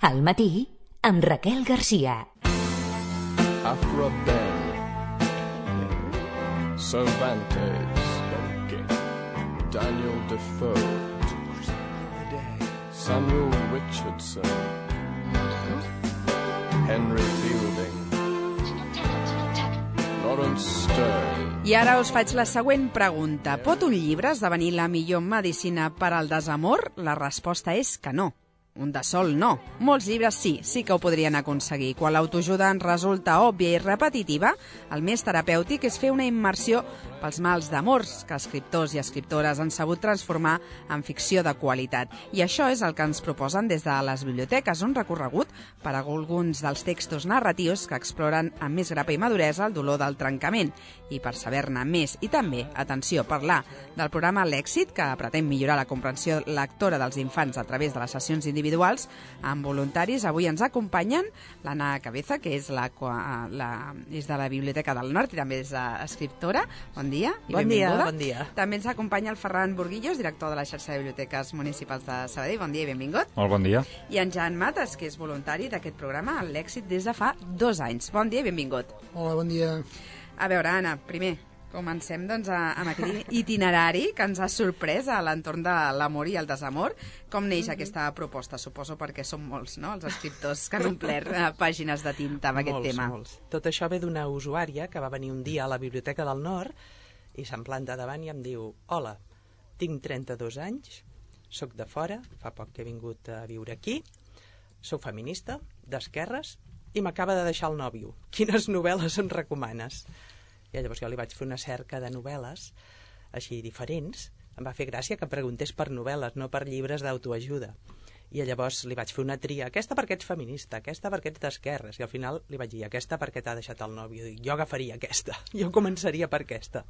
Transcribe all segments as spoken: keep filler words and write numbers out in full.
Al matí, amb Raquel Garcia. After a bell, Cervantes, Daniel Defoe, Samuel Richardson, Henry Fielding, Lawrence Sterne. I ara us faig la següent pregunta. Pot un llibre esdevenir la millor medicina per al desamor? La resposta és que no. Un de sol, no. Molts llibres sí, sí que ho podrien aconseguir. Quan l'autoajuda ens resulta òbvia i repetitiva, el més terapèutic és fer una immersió pels mals d'amors que escriptors i escriptores han sabut transformar en ficció de qualitat. I això és el que ens proposen des de les biblioteques, un recorregut per a alguns dels textos narratius que exploren amb més grapa i maduresa el dolor del trencament. I per saber-ne més i també, atenció, parlar del programa L'Èxit, que pretén millorar la comprensió lectora dels infants a través de les sessions individuals amb voluntaris, avui ens acompanyen l'Anna Cabeza, que és, la, la, és de la Biblioteca del Nord i també és escriptora. Bon dia i bon benvinguda. Dia, bon dia. També ens acompanya el Ferran Burguillos, director de la xarxa de biblioteques municipals de Sabadell. Bon dia i benvingut. Molt bon dia. I en Jan Mates, que és voluntari d'aquest programa, L'Èxit, des de fa dos anys. Bon dia i benvingut. Hola, bon dia. A veure, Anna, primer, comencem doncs, a, amb aquest itinerari que ens ha sorprès a l'entorn de l'amor i el desamor. Com neix mm-hmm. aquesta proposta? Suposo perquè són molts, no?, els escriptors que han omplert eh, pàgines de tinta amb aquest molts, tema. Molts. Tot això ve d'una usuària que va venir un dia a la Biblioteca del Nord i se'm planta davant i em diu: hola, tinc trenta-dos anys, soc de fora, fa poc que he vingut a viure aquí, soc feminista, d'esquerres, i m'acaba de deixar el nòvio. Quines novel·les em recomanes? I llavors jo li vaig fer una cerca de novel·les així diferents. Em va fer gràcia que preguntés per novel·les, no per llibres d'autoajuda. I llavors li vaig fer una tria. Aquesta perquè ets feminista, aquesta perquè ets d'esquerres. I al final li vaig dir: aquesta perquè t'ha deixat el nòvio. I jo agafaria aquesta. Jo començaria per aquesta.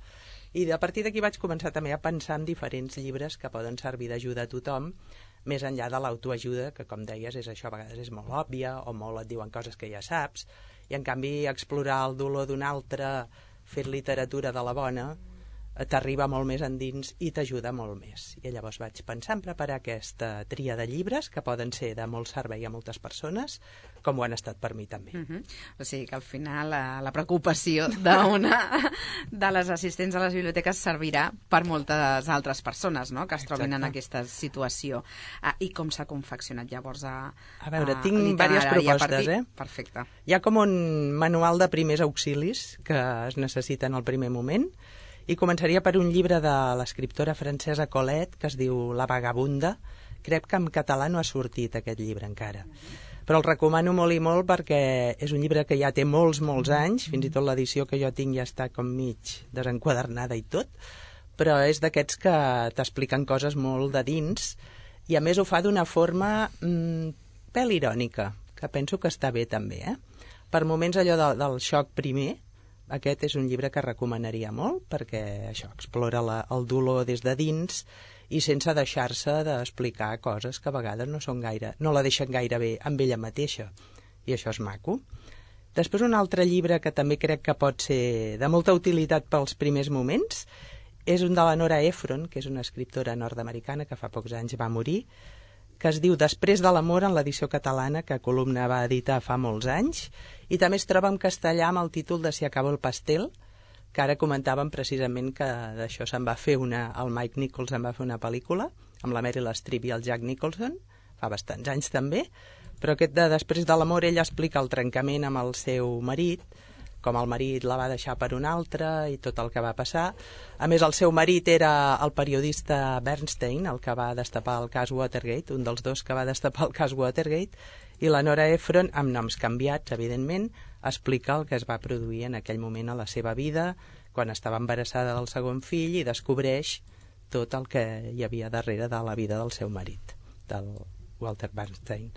I a partir d'aquí vaig començar també a pensar en diferents llibres que poden servir d'ajuda a tothom, més enllà de l'autoajuda, que com deies és això, a vegades és molt òbvia o molt et diuen coses que ja saps, i en canvi explorar el dolor d'un altre fer literatura de la bona t'arriba molt més endins i t'ajuda molt més. I llavors vaig pensar en preparar aquesta tria de llibres que poden ser de molt servei a moltes persones, com ho han estat per mi també. Uh-huh. O sigui que al final la, la preocupació d'una de les assistents a les biblioteques servirà per moltes altres persones, no?, que es trobin en aquesta situació. Ah, I com s'ha confeccionat llavors a A veure, a tinc diverses propostes, partir... eh? Perfecte. Hi ha com un manual de primers auxilis que es necessiten al primer moment, i començaria per un llibre de l'escriptora francesa Colette, que es diu La vagabunda. Crec que en català no ha sortit aquest llibre encara, però el recomano molt i molt perquè és un llibre que ja té molts, molts anys, fins i tot l'edició que jo tinc ja està com mig desenquadernada i tot, però és d'aquests que t'expliquen coses molt de dins, i a més ho fa d'una forma mmm, pèl irònica, que penso que està bé també, eh? Per moments allò de, del xoc primer, aquest és un llibre que recomanaria molt perquè això explora la, el dolor des de dins i sense deixar-se d'explicar coses que a vegades no són gaire, no la deixen gaire bé amb ella mateixa, i això és maco. Després un altre llibre que també crec que pot ser de molta utilitat pels primers moments és un de la Nora Ephron, que és una escriptora nord-americana que fa pocs anys va morir, que es diu Després de l'amor, en l'edició catalana que Columna va editar fa molts anys, i també es troba en castellà amb el títol de Si acaba el pastel, que ara comentàvem precisament que d'això se'n va fer una, el Mike Nichols en va fer una pel·lícula, amb la Meryl Streep i el Jack Nicholson, fa bastants anys també, però aquest de Després de l'amor ella explica el trencament amb el seu marit, com el marit la va deixar per un altre i tot el que va passar. A més, el seu marit era el periodista Bernstein, el que va destapar el cas Watergate, un dels dos que va destapar el cas Watergate, i la Nora Ephron, amb noms canviats, evidentment, explica el que es va produir en aquell moment a la seva vida, quan estava embarassada del segon fill, i descobreix tot el que hi havia darrere de la vida del seu marit, del Walter Bernstein.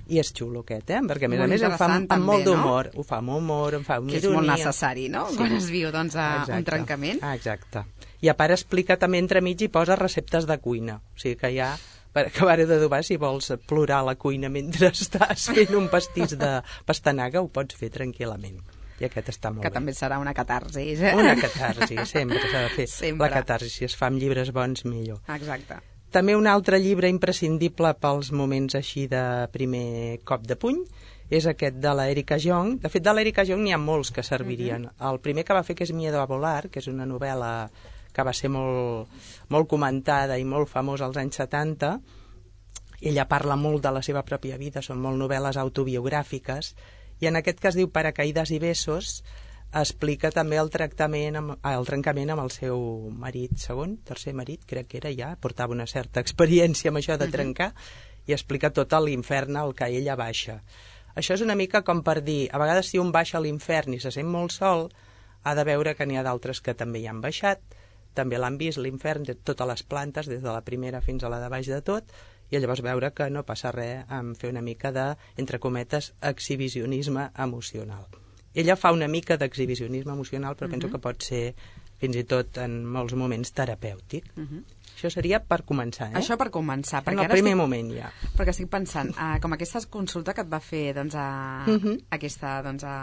I és xulo aquest, eh? Perquè a més a més ho fa amb, amb molt d'humor, no? Ho fa amb humor, ho fa amb ironia. Que és molt necessari, no? Sí. Quan es viu doncs, a exacte. Un trencament. Ah, exacte. I a part explica també entremig i posa receptes de cuina. O sigui que ja, per acabar d'adobar, si vols plorar a la cuina mentre estàs fent un pastís de pastanaga, ho pots fer tranquil·lament. I aquest està molt que bé. També serà una catarsis. Eh? Una catarsis, sempre s'ha de fer. Sempre. La catarsis, si es fa amb llibres bons, millor. Exacte. També un altre llibre imprescindible pels moments així de primer cop de puny és aquest de l'Erika Jong. De fet, de l'Erika Jong n'hi ha molts que servirien. Uh-huh. El primer que va fer, que és Miedo a volar, que és una novel·la que va ser molt, molt comentada i molt famosa als anys setanta. Ella parla molt de la seva pròpia vida, són molt novel·les autobiogràfiques, i en aquest cas diu Paracaídas i besos, explica també el tractament, amb, el trencament amb el seu marit segon, tercer marit, crec que era ja, portava una certa experiència amb això de trencar, uh-huh. i explica tot l'infern al que ella baixa. Això és una mica com per dir, a vegades si un baixa a l'infern i se sent molt sol, ha de veure que n'hi ha d'altres que també hi han baixat, també l'han vist, l'infern, de totes les plantes, des de la primera fins a la de baix de tot, i llavors veure que no passa res en fer una mica de, entre cometes, exhibicionisme emocional. Ella fa una mica d'exhibicionisme emocional, però uh-huh. penso que pot ser, fins i tot en molts moments, terapèutic. Uh-huh. Això seria per començar, eh? Això per començar. En el primer estic... moment, ja. Perquè estic pensant, uh, com aquesta consulta que et va fer doncs, a, uh-huh. aquesta doncs, a,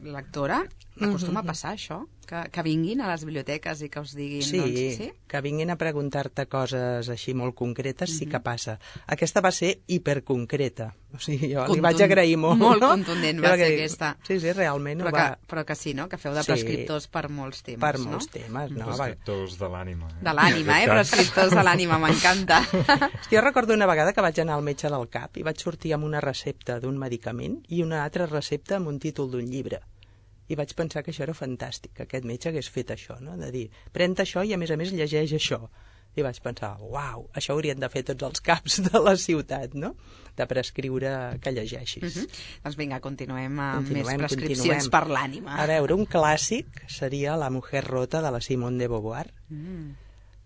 lectora, acostuma uh-huh. a passar això? Que, que vinguin a les biblioteques i que us diguin... Sí, doncs, sí? que vinguin a preguntar-te coses així molt concretes, uh-huh. sí que passa. Aquesta va ser hiperconcreta. O sigui, jo Contun... li vaig agrair molt. Molt no? contundent va ser que... aquesta. Sí, sí, realment però ho va... Que, però que sí, no? Que feu de sí, prescriptors per molts temes, per no? molts temes, no? Prescriptors de l'ànima. Eh? De l'ànima, eh? Prescriptors de l'ànima, m'encanta. Jo recordo una vegada que vaig anar al metge del cap i vaig sortir amb una recepta d'un medicament i una altra recepta amb un títol d'un llibre. I vaig pensar que això era fantàstic, que aquest metge hagués fet això, no? De dir, pren això i a més a més llegeix això. I vaig pensar, uau, això haurien de fer tots els caps de la ciutat, no? De prescriure que llegeixis. Uh-huh. Doncs vinga, continuem amb continuem, més prescripcions continuem. per l'ànima. A veure, un clàssic seria La mujer rota de la Simone de Beauvoir, mm.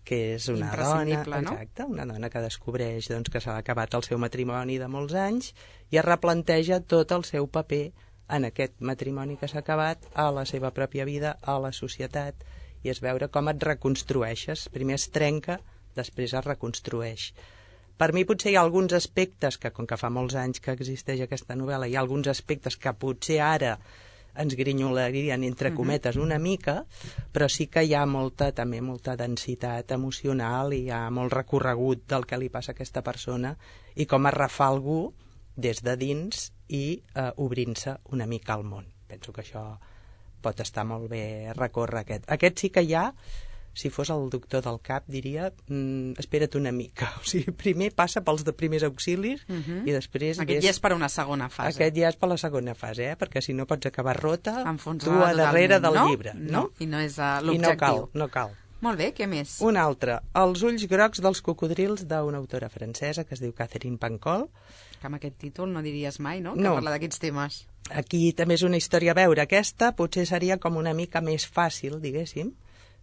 que és una dona, no? exacte, una dona que descobreix doncs, que s'ha acabat el seu matrimoni de molts anys i es replanteja tot el seu paper en aquest matrimoni que s'ha acabat, a la seva pròpia vida, a la societat, i és veure com et reconstrueixes. Primer es trenca, després es reconstrueix. Per mi potser hi ha alguns aspectes que, com que fa molts anys que existeix aquesta novel·la, hi ha alguns aspectes que potser ara ens grinyolarien, entre cometes, una mica, però sí que hi ha molta, també molta densitat emocional i hi ha molt recorregut del que li passa a aquesta persona i com es refà algú des de dins i eh, obrint-se una mica al món. Penso que això pot estar molt bé recórrer aquest. Aquest sí que hi ha, si fos el doctor del cap, diria, mm, espera't una mica. O sigui, primer passa pels de primers auxilis uh-huh. i després... Aquest ves... ja és per una segona fase. Aquest ja és per la segona fase, eh? Perquè si no pots acabar rota, enfonsada tu a darrere del no? llibre. No? no? I no és uh, l'objectiu. I no cal, no cal. Molt bé, què més? Un altre, Els ulls grocs dels cocodrils, d'una autora francesa que es diu Catherine Pancol. Que amb aquest títol no diries mai, no? Que no. parla d'aquests temes. Aquí també és una història a veure. Aquesta potser seria com una mica més fàcil, diguéssim.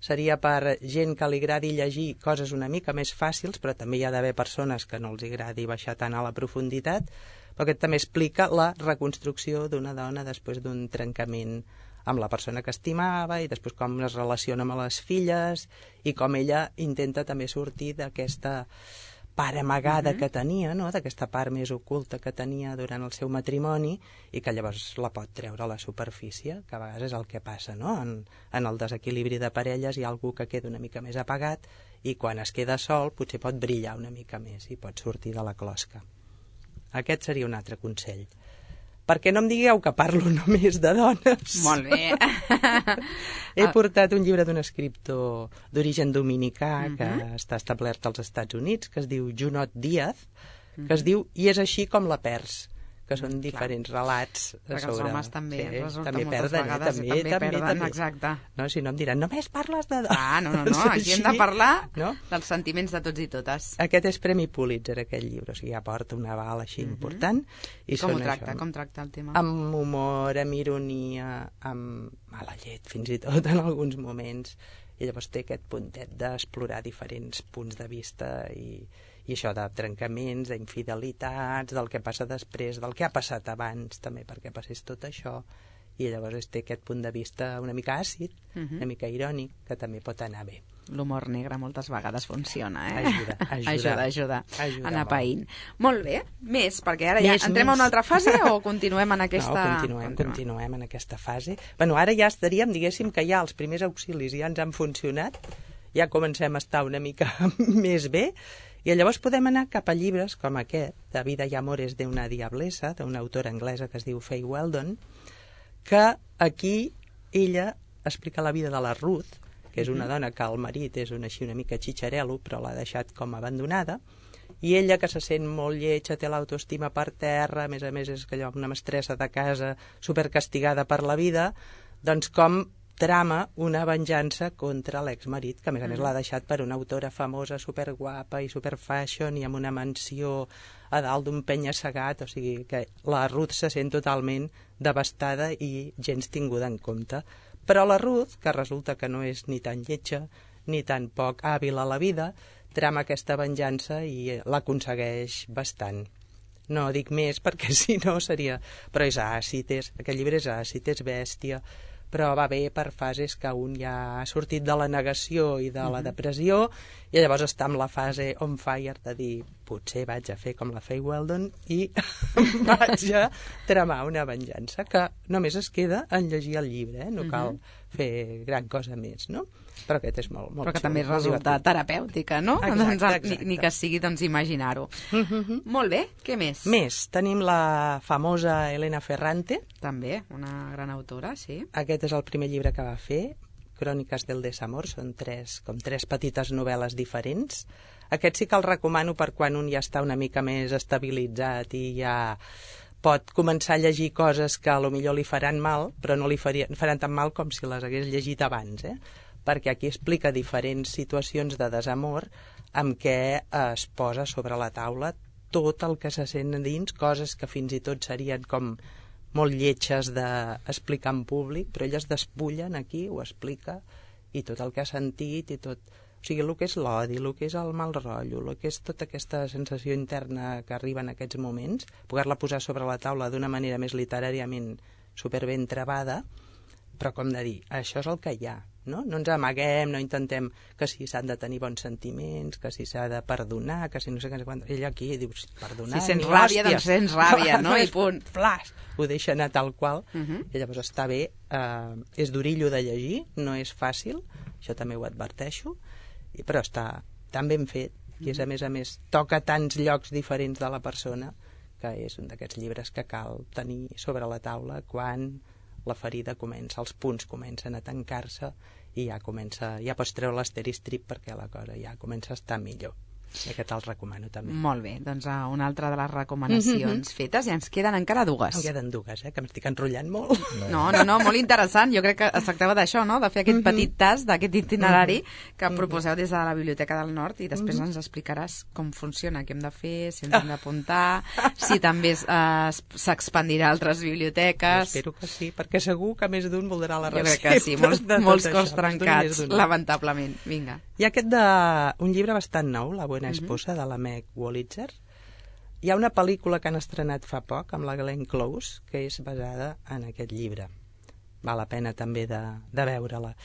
Seria per gent que li agradi llegir coses una mica més fàcils, però també hi ha d'haver persones que no els agradi baixar tant a la profunditat, però aquest també explica la reconstrucció d'una dona després d'un trencament amb la persona que estimava i després com es relaciona amb les filles i com ella intenta també sortir d'aquesta part amagada uh-huh. que tenia, no? D'aquesta part més oculta que tenia durant el seu matrimoni i que llavors la pot treure a la superfície, que a vegades és el que passa, no? En, en el desequilibri de parelles hi ha algú que queda una mica més apagat i quan es queda sol potser pot brillar una mica més i pot sortir de la closca. Aquest seria un altre consell. Perquè no em digueu que parlo només de dones. Molt bé. He portat un llibre d'un escriptor d'origen dominicà uh-huh. que està establert als Estats Units, que es diu Junot Díaz, que uh-huh. es diu I és així com la perds, que són diferents Clar. relats Perquè sobre... els homes també sí, resulta també moltes perden, vegades, eh? també, també, també perden, també. exacte. No, si no em diran, només parles de dones. Ah, no, no, no, aquí hem de parlar no? dels sentiments de tots i totes. Aquest és Premi Pulitzer, aquest llibre, o sigui, aporta una aval així uh-huh. important. I, I com ho tracta? Això, com tracta el tema? Amb humor, amb ironia, amb mala llet, fins i tot en alguns moments. I llavors té aquest puntet d'explorar diferents punts de vista i... i això de trencaments, d'infidelitats, del que passa després, del que ha passat abans, també perquè passés tot això, i llavors té aquest punt de vista una mica àcid, uh-huh. una mica irònic, que també pot anar bé. L'humor negre moltes vegades funciona, eh? Ajuda, ajuda. ajuda, ajuda. ajuda anar molt. païnt. Molt bé, més, perquè ara ja més, entrem més. a una altra fase o continuem en aquesta... No, continuem, continuem en aquesta fase. Bueno, ara ja estaríem, diguéssim, que ja els primers auxilis ja ens han funcionat, ja comencem a estar una mica més bé, I llavors podem anar cap a llibres com aquest, de Vida y amores de una diablesa, d'una autora anglesa que es diu Fay Weldon, que aquí ella explica la vida de la Ruth, que és una dona que el marit és una, així una mica xitxarelo, però l'ha deixat com abandonada, i ella, que se sent molt lletja, té l'autoestima per terra, a més a més és allò, una mestressa de casa supercastigada per la vida, doncs com trama una venjança contra l'exmarit, que a més a més l'ha deixat per una autora famosa, superguapa i superfashion i amb una mansió a dalt d'un penya-segat, o sigui que la Ruth se sent totalment devastada i gens tinguda en compte. Però la Ruth, que resulta que no és ni tan lletja ni tan poc hàbil a la vida, trama aquesta venjança i l'aconsegueix bastant. No dic més perquè si no seria... Però és àcid, és... aquest llibre és àcid, és bèstia, però va bé per fases que un ja ha sortit de la negació i de la depressió i llavors està en la fase on fire de dir potser vaig a fer com la Fay Weldon i vaig a tramar una venjança, que només es queda en llegir el llibre, eh? No cal fer gran cosa més, no? Però aquest és molt, molt Però que xulo, també molt resulta divertit. terapèutica, no? Exacte, Doncs, exacte. Ni, ni que sigui doncs, imaginar-ho. Molt bé, què més? Més, tenim la famosa Elena Ferrante. També, una gran autora, sí. Aquest és el primer llibre que va fer, Cròniques del desamor, són tres, com tres petites novel·les diferents. Aquest sí que el recomano per quan un ja està una mica més estabilitzat i ja pot començar a llegir coses que a lo millor li faran mal, però no li farien, faran tan mal com si les hagués llegit abans, eh? Perquè aquí explica diferents situacions de desamor amb què es posa sobre la taula tot el que se sent dins, coses que fins i tot serien com molt lletges d'explicar en públic, però ella es despullen aquí, ho explica, i tot el que ha sentit, i tot... O sigui, el que és l'odi, el que és el mal rotllo, el que és tota aquesta sensació interna que arriba en aquests moments, poder-la posar sobre la taula d'una manera més literàriament superben travada, però com de dir, això és el que hi ha, no? No ens amaguem, no intentem que si s'han de tenir bons sentiments, que si s'ha de perdonar, que si no sé què, quan... ella aquí dius, perdonar... Si sents ni ràbia, hòsties. doncs sents ràbia, no? I punt. Flash! Ho deixa anar tal qual, Uh -huh. i llavors està bé, eh, és d'orillo de llegir, no és fàcil, això també ho adverteixo, i, però està tan ben fet, i és a més a més, toca tants llocs diferents de la persona, que és un d'aquests llibres que cal tenir sobre la taula quan la ferida comença, els punts comencen a tancar-se i ja comença, ja pots treure l'asteristrip perquè la cosa ja comença a estar millor. I aquest el recomano també. Molt bé, doncs uh, una altra de les recomanacions fetes, i ens queden encara dues. En queden dues, eh, que m'estic enrotllant molt. No, no, no, molt interessant. Jo crec que es tractava d'això, no?, de fer aquest petit tast d'aquest itinerari que proposeu des de la Biblioteca del Nord, i després ens explicaràs com funciona, què hem de fer, si ens hem d'apuntar, si també eh, s'expandirà a altres biblioteques. Jo espero que sí, perquè segur que més d'un voldrà la Jo recepta. crec que sí, molts, de tot molts això, cos més trencats, d'un. lamentablement. Vinga. Hi ha aquest de... un llibre bastant nou, La buena esposa, de la Meg Wolitzer. Hi ha una pel·lícula que han estrenat fa poc, amb la Glenn Close, que és basada en aquest llibre. Val la pena també de, de veure-la.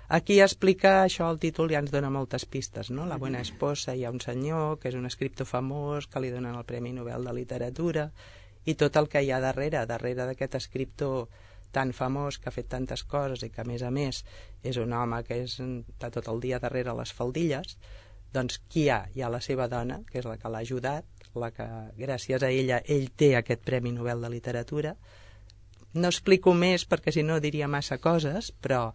Aquí explica això, el títol ja ens dona moltes pistes, no? La buena esposa, hi ha un senyor que és un escriptor famós, que li donen el Premi Nobel de Literatura, i tot el que hi ha darrere, darrere d'aquest escriptor tan famós, que ha fet tantes coses i que a més a més és un home que és, està tot el dia darrere les faldilles. Doncs qui hi ha? Hi ha la seva dona, que és la que l'ha ajudat, la que gràcies a ella ell té aquest Premi Nobel de Literatura. No explico més perquè si no diria massa coses, però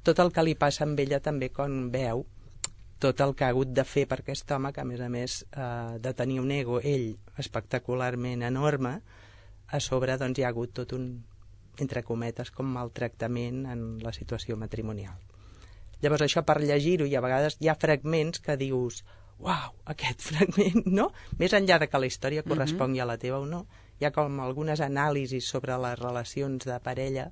tot el que li passa amb ella també quan veu tot el que ha hagut de fer per aquest home, que a més a més eh, de tenir un ego ell espectacularment enorme, a sobre doncs hi ha hagut tot un, entre cometes, com maltractament en la situació matrimonial. Llavors això per llegir-ho, i a vegades hi ha fragments que dius, uau, aquest fragment, no? Més enllà de que la història correspongui a la teva o no, hi ha com algunes anàlisis sobre les relacions de parella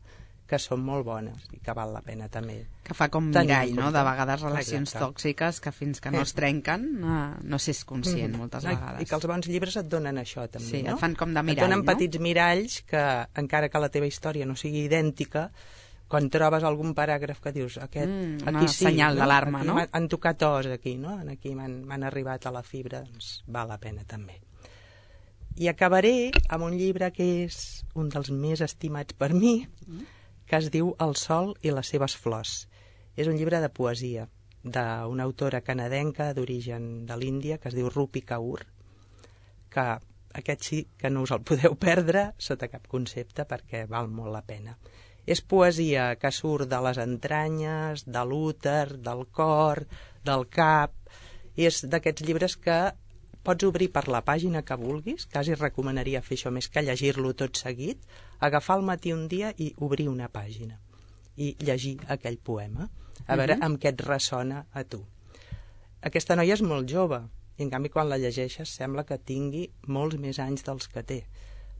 que són molt bones i que val la pena també. Que fa com tenir mirall, en no?, compte. de vegades relacions Exacte. tòxiques que fins que no es trenquen no, no s'és conscient moltes No, vegades. I que els bons llibres et donen això també, Sí, no? et fan com de Et mirall, donen no? petits miralls que, encara que la teva història no sigui idèntica, quan trobes algun paràgraf que dius aquest, Mm, aquí una sí, senyal no? d'alarma, Aquí no? m'han- han tocat os aquí, no? Aquí m'han m'han arribat a la fibra, doncs val la pena també. I acabaré amb un llibre que és un dels més estimats per mi, que es diu El sol i les seves flors. És un llibre de poesia. d'una autora canadenca d'origen de l'Índia que es diu Rupi Kaur, que aquest sí que no us el podeu perdre sota cap concepte perquè val molt la pena. És poesia que surt de les entranyes, de l'úter, del cor, del cap. És d'aquests llibres que pots obrir per la pàgina que vulguis, quasi recomanaria fer això més que llegir-lo tot seguit, agafar al matí un dia i obrir una pàgina i llegir aquell poema, a veure Mhm. amb què et ressona a tu. Aquesta noia és molt jove, i en canvi quan la llegeixes sembla que tingui molts més anys dels que té,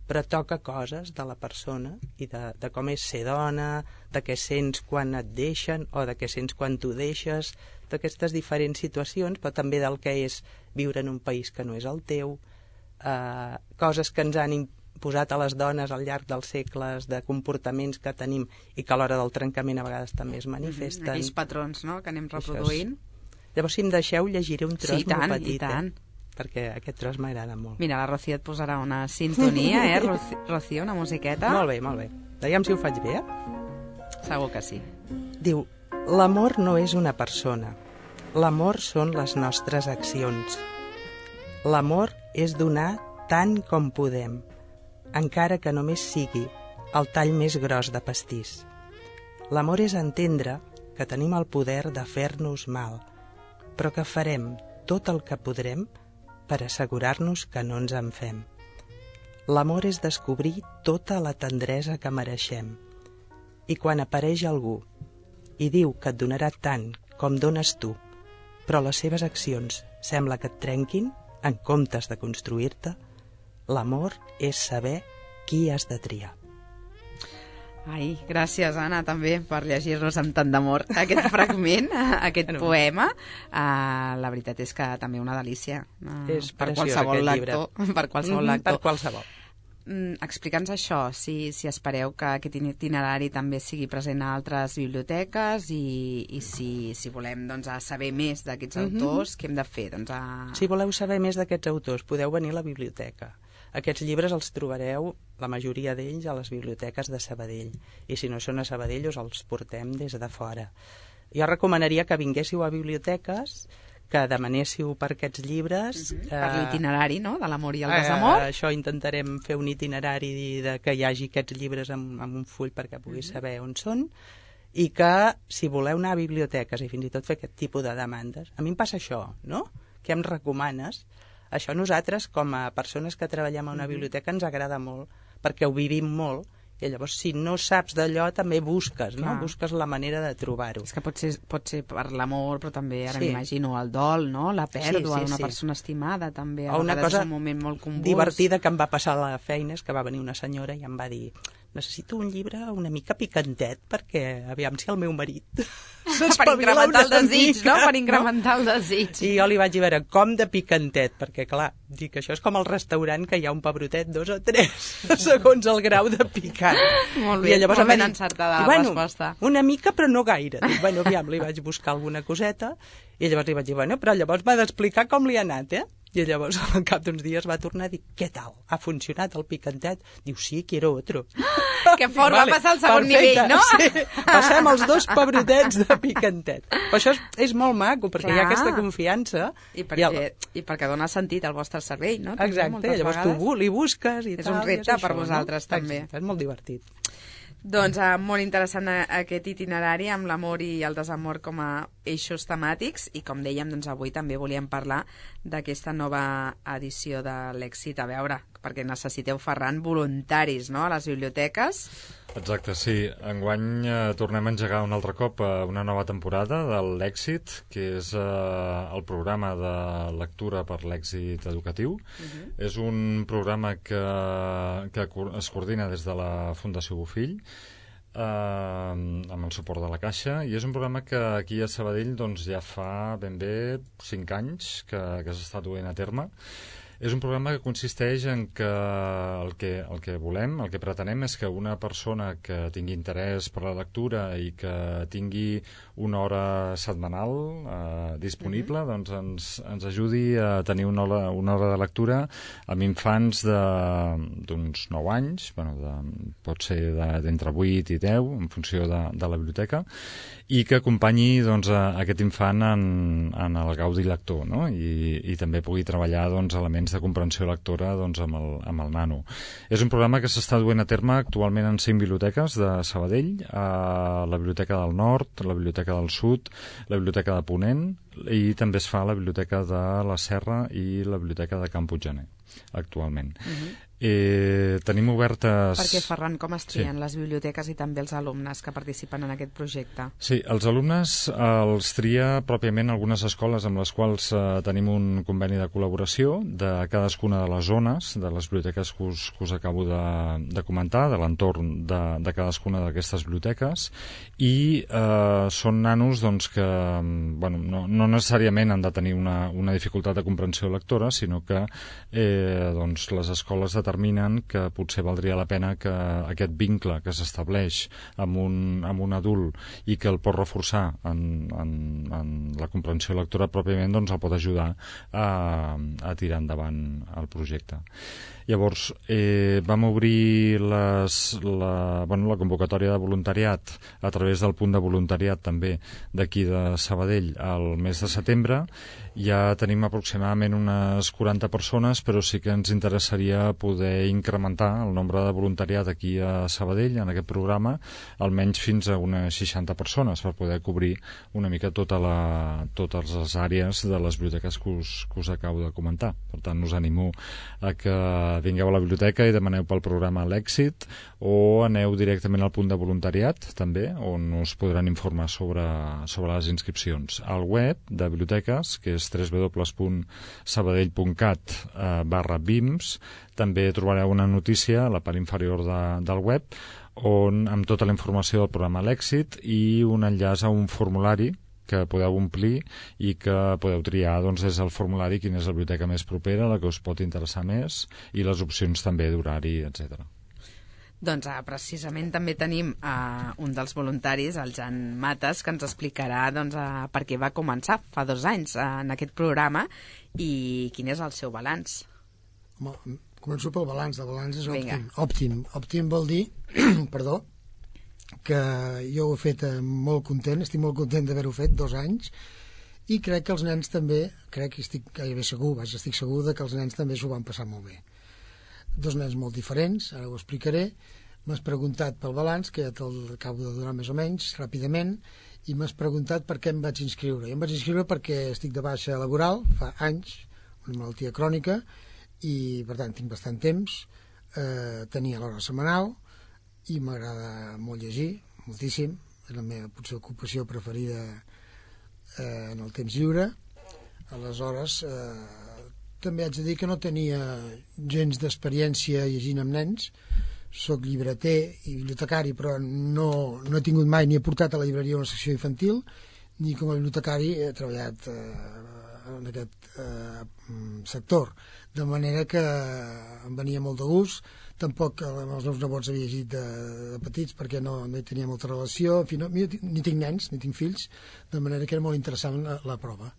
però toca coses de la persona i de, de com és ser dona, de què sents quan et deixen o de què sents quan tu deixes, d'aquestes diferents situacions, però també del que és viure en un país que no és el teu, eh, coses que ens han imposat a les dones al llarg dels segles, de comportaments que tenim i que a l'hora del trencament a vegades també es manifesten. Mhm. Aquells patrons, no?, que anem Això és. reproduint. Llavors, si em deixeu, llegiré un tros Sí, i tant, molt petit, i tant. Eh? Perquè aquest tros m'agrada molt. Mira, la Rocío et posarà una sintonia, eh, Roci- Rocío, una musiqueta. Molt bé, molt bé. Aviam si ho faig bé, eh? Segur que sí. Diu, l'amor no és una persona. L'amor són les nostres accions. L'amor és donar tant com podem, encara que només sigui el tall més gros de pastís. L'amor és entendre que tenim el poder de fer-nos mal, però que farem tot el que podrem per assegurar-nos que no ens en fem. L'amor és descobrir tota la tendresa que mereixem. I quan apareix algú i diu que et donarà tant com dones tu, però les seves accions sembla que et trenquin en comptes de construir-te, l'amor és saber qui has de triar. Ai, gràcies, Anna, també, per llegir-nos amb tant d'amor aquest fragment, aquest Bueno. poema. Uh, la veritat és que també una delícia. Uh, És per preciós, qualsevol aquest llibre. lector. Per qualsevol Mhm, lector. Per qualsevol. Mm, Explica'ns això, si, si espereu que aquest itinerari també sigui present a altres biblioteques i, i si, si volem doncs, a saber més d'aquests Mhm. autors, què hem de fer? Doncs a... Si voleu saber més d'aquests autors, podeu venir a la biblioteca. Aquests llibres els trobareu, la majoria d'ells, a les biblioteques de Sabadell. I si no són a Sabadell, us els portem des de fora. Jo recomanaria que vinguéssiu a biblioteques, que demanéssiu per aquests llibres. Mhm. Per l'itinerari, no?, de l'amor i el desamor. Eh, això intentarem fer un itinerari de que hi hagi aquests llibres amb, amb un full perquè puguis Mhm. saber on són, i que si voleu anar a biblioteques i fins i tot fer aquest tipus de demandes, a mi em passa això, no?, què em recomanes? Això nosaltres, com a persones que treballem a una biblioteca, ens agrada molt, perquè ho vivim molt, i llavors si no saps d'allò també busques, no? Clar. Busques la manera de trobar-ho. És que pot ser, pot ser per l'amor, però també, ara Sí. m'imagino, el dol, no?, la pèrdua Sí, sí, d'una sí. persona estimada, també. A O una vegades cosa és un moment molt convuls. divertida que em va passar a la feina és que va venir una senyora i em va dir: necessito un llibre una mica picantet perquè aviam si el meu marit Per s'espavila incrementar el una desig, mica, no?, per incrementar el desig. I jo li vaig dir, a veure, com de picantet? Perquè, clar, dic, això és com al restaurant que hi ha un pebrotet, dos o tres, segons el grau de picant. Molt bé, I llavors molt em va ben dir, encertada la bueno, resposta. una mica, però no gaire. Dic, bueno, aviam, li vaig buscar alguna coseta, i llavors li vaig dir, bueno, però llavors m'ha d'explicar com li ha anat, eh? I llavors, al cap d'uns dies, va tornar a dir, què tal? Ha funcionat el picantet? Diu, sí, quiero otro. Que fort, va passar al segon nivell, no? Sí, passem els dos pebrotets de picantet. Però això és, és molt maco, perquè Clar. hi ha aquesta confiança. I I perquè, el- i perquè dona sentit al vostre cervell, no? També, Exacte, moltes llavors vegades. tu bu- li busques i És tal. un i repte per això, vosaltres, no? també. Exacte, és molt divertit. Doncs uh, molt interessant eh, aquest itinerari amb l'amor i el desamor com a eixos temàtics i com dèiem, doncs avui també volíem parlar d'aquesta nova edició de l'Èxit. A veure, perquè necessiteu, Ferran, voluntaris, no?, a les biblioteques. Exacte, sí. Enguany eh, tornem a engegar un altre cop eh, una nova temporada de l'Èxit, que és eh, el programa de lectura per l'èxit educatiu. Uh-huh. És un programa que, que es coordina des de la Fundació Bofill, eh, amb el suport de la Caixa, i és un programa que aquí a Sabadell doncs, ja fa ben bé cinc anys que, que s'està duent a terme. És un programa que consisteix en que el que, el que volem, el que pretenem és que una persona que tingui interès per la lectura i que tingui una hora setmanal eh, disponible, mm-hmm. doncs ens, ens ajudi a tenir una hora, una hora de lectura amb infants d'uns nou anys, bueno, de, pot ser d'entre vuit i deu, en funció de, de la biblioteca, i que acompanyi doncs, a aquest infant en, en el gaudi lector, no? I, i també pugui treballar doncs, elements de comprensió lectora doncs, amb, el, amb el nano. És un programa que s'està duent a terme actualment en cinc biblioteques de Sabadell, a la Biblioteca del Nord, la Biblioteca del Sud, la Biblioteca de Ponent, i també es fa a la Biblioteca de la Serra i la Biblioteca de Can Puiggener, actualment. Uh-huh. Eh, tenim obertes... Perquè, Ferran, com es trien sí. les biblioteques i també els alumnes que participen en aquest projecte? Sí, els alumnes eh, els tria pròpiament algunes escoles amb les quals eh, tenim un conveni de col·laboració de cadascuna de les zones, de les biblioteques que us, que us acabo de, de comentar, de l'entorn de, de cadascuna d'aquestes biblioteques, i eh, són nanos doncs, que bueno, no, no necessàriament han de tenir una, una dificultat de comprensió lectora, sinó que eh, doncs, les escoles de determinen que potser valdria la pena que aquest vincle que s'estableix amb, un, amb un adult i que el pot reforçar en, en, en la comprensió lectora pròpiament, doncs el pot ajudar a, a tirar endavant el projecte. Llavors, eh, vam obrir les, la, bueno, la convocatòria de voluntariat a través del punt de voluntariat també d'aquí de Sabadell al mes de setembre. Ja tenim aproximadament unes quaranta persones, però sí que ens interessaria poder incrementar el nombre de voluntariat aquí a Sabadell, en aquest programa, almenys fins a unes seixanta persones, per poder cobrir una mica tota la, totes les àrees de les biblioteques que us, que us acabo de comentar. Per tant, us animo a que vingueu a la biblioteca i demaneu pel programa l'èxit, o aneu directament al punt de voluntariat, també, on us podran informar sobre, sobre les inscripcions. Al web de biblioteques, que és w w w punt sabadell punt cat eh, barra bims, també trobareu una notícia a la part inferior de, del web, on amb tota la informació del programa l'èxit i un enllaç a un formulari que podeu omplir i que podeu triar doncs, des del formulari quina és la biblioteca més propera, la que us pot interessar més, i les opcions també d'horari, etcètera. Doncs ah, precisament també tenim uh, un dels voluntaris, el Jan Mates, que ens explicarà doncs, uh, per què va començar fa dos anys uh, en aquest programa i quin és el seu balanç. Home, començo pel balanç. El balanç és Vinga. òptim. Òptim, òptim vol dir perdó, que jo ho he fet molt content, estic molt content d'haver-ho fet dos anys, i crec que els nens també, crec que estic gairebé segur, vaja, estic segur de que els nens també s'ho van passar molt bé. Dos nens molt diferents, ara ho explicaré. M'has preguntat pel balanç, que ja te'l acabo de donar més o menys, ràpidament, i m'has preguntat per què em vaig inscriure. Jo em vaig inscriure perquè estic de baixa laboral, fa anys, una malaltia crònica, i per tant tinc bastant temps, eh, tenia l'hora setmanal, i m'agrada molt llegir, moltíssim, és la meva potser ocupació preferida eh, en el temps lliure. Aleshores, eh, també haig de dir que no tenia gens d'experiència llegint amb nens. Soc llibreter i bibliotecari, però no, no he tingut mai ni he portat a la llibreria una secció infantil, ni com a bibliotecari he treballat eh, en aquest eh, sector, de manera que em venia molt de gust. Tampoc amb els meus nebots havia llegit de, de petits perquè no, no hi tenia molta relació. En fi, no, ni tinc nens, ni tinc fills, de manera que era molt interessant la, la prova.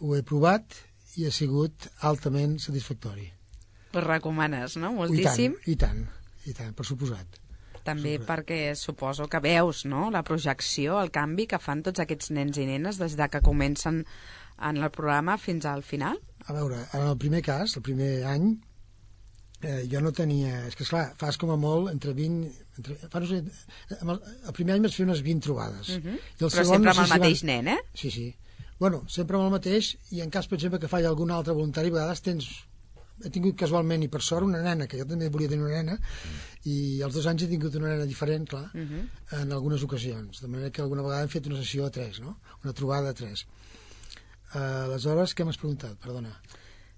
Ho he provat i ha sigut altament satisfactori. Ho recomanes, no? Moltíssim. I tant, i tant, i tant, per suposat. També Super. perquè suposo que veus, no?, la projecció, el canvi que fan tots aquests nens i nenes des de que comencen en el programa fins al final. A veure, en el primer cas, el primer any, eh, jo no tenia... És que, esclar, fas com a molt entre vint... Entre, fa, no sé, el, el primer any vaig fer unes vint trobades. Uh -huh. I el Però segon, sempre no amb sé el si mateix van... nen, eh? Sí, sí. Bueno, sempre amb el mateix, i en cas, per exemple, que falla algun altre voluntari, a vegades tens... He tingut casualment, i per sort, una nena, que jo també volia tenir una nena, i als dos anys he tingut una nena diferent, clar, uh -huh. en algunes ocasions. De manera que alguna vegada hem fet una sessió a tres, no? Una trobada a tres. Uh, aleshores, què m'has preguntat? Perdona.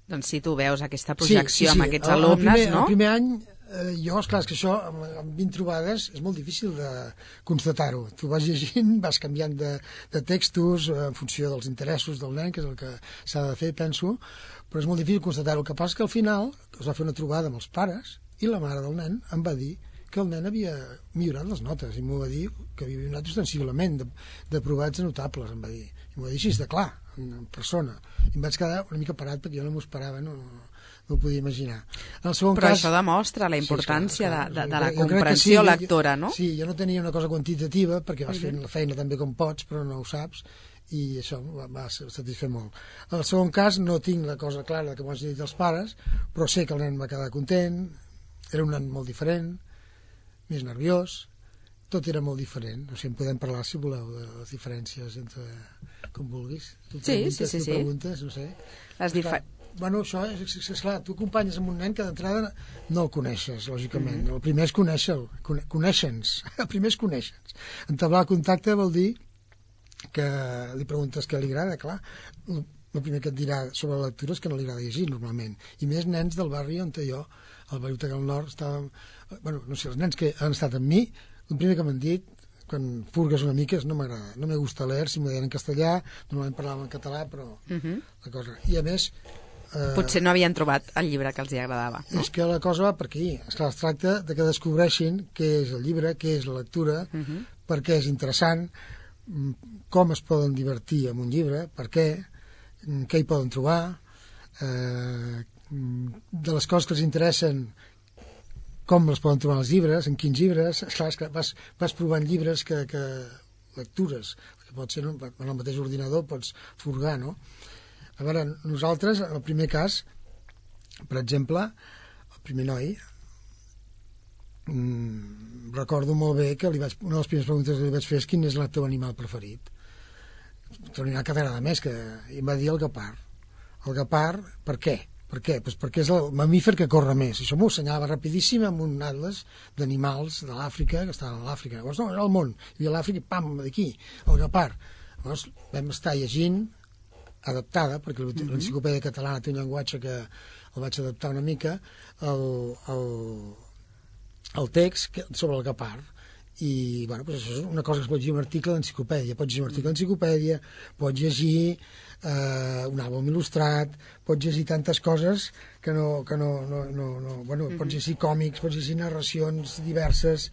Doncs si tu veus aquesta projecció sí, sí, sí. amb aquests el, alumnes, el primer, no? El primer any Eh, jo, esclar, és que això, amb, amb vint trobades, és molt difícil de constatar-ho. Tu vas llegint, vas canviant de, de textos en funció dels interessos del nen, que és el que s'ha de fer, penso, però és molt difícil constatar-ho. El que passa és que al final es va fer una trobada amb els pares i la mare del nen em va dir que el nen havia millorat les notes i m'ho va dir que havia millorat ostensiblement de, de provats notables, em va dir. I m'ho va dir així, de clar, en persona. I em vaig quedar una mica parat perquè jo no m'ho esperava, no, no no ho podia imaginar. En el segon Però cas, això demostra la importància sí, clar, clar, de, de, de la jo crec que comprensió sí, lectora, no? Sí, jo no tenia una cosa quantitativa, perquè vas Uh-huh. fent la feina també com pots, però no ho saps, i això va, va satisfer molt. En el segon cas no tinc la cosa clara que m'ho has dit els pares, però sé que el nen va quedar content, era un nen molt diferent, més nerviós, tot era molt diferent. No sé, en podem parlar, si voleu, de les diferències entre... com vulguis. Tu Sí, preguntes, sí, sí, tu sí. preguntes, no sé. Les difer... Bueno, això és, és, és clar, tu acompanyes amb un nen que d'entrada no el coneixes, lògicament. Mm-hmm. El primer és conèixer-lo, cone conèixer-nos. El primer és conèixer-nos. Entablar contacte vol dir que li preguntes què li agrada, clar. El, el primer que et dirà sobre la lectura és que no li agrada llegir, normalment. I més nens del barri on jo, al barri del Nord, estàvem... Bueno, no sé, els nens que han estat amb mi, el primer que m'han dit, quan furgues una mica, és no m'agrada, no me gusta leer, si m'ho deien en castellà, normalment parlàvem en català, però Uh-huh. la cosa... I a més... Eh, Potser no havien trobat el llibre que els hi agradava. No? És que la cosa va per aquí. Esclar, es tracta de que descobreixin què és el llibre, què és la lectura, Uh-huh. per què és interessant, mm, com es poden divertir amb un llibre, per què, mm, què hi poden trobar, eh, mm, de les coses que els interessen, com les poden trobar els llibres, en quins llibres. Esclar, és que vas, vas provant llibres que, que lectures, que pot ser, no? En el mateix ordinador pots furgar, no? A veure, nosaltres, en el primer cas, per exemple, el primer noi, mmm, recordo molt bé que li vaig, una de les primeres preguntes que li vaig fer és quin és el teu animal preferit. El teu animal que t'agrada més, que i em va dir el guepard. El guepard, per què? Per què? Pues perquè és el mamífer que corre més. Això m'ho assenyalava rapidíssim amb un atles d'animals de l'Àfrica, que estava a l'Àfrica. Llavors, no, era el món. Hi havia l'Àfrica i pam, d'aquí, el guepard. Llavors vam estar llegint adaptada, perquè l'enciclopèdia catalana té un llenguatge que el vaig adaptar una mica, el, el, el text que, sobre el guepard. I, bueno, pues això és una cosa que es pot llegir un article d'enciclopèdia, pots llegir un article d'enciclopèdia, pots llegir eh, un àlbum il·lustrat, pots llegir tantes coses que no... Que no, no, no, no bueno, pots llegir còmics, pots llegir narracions diverses.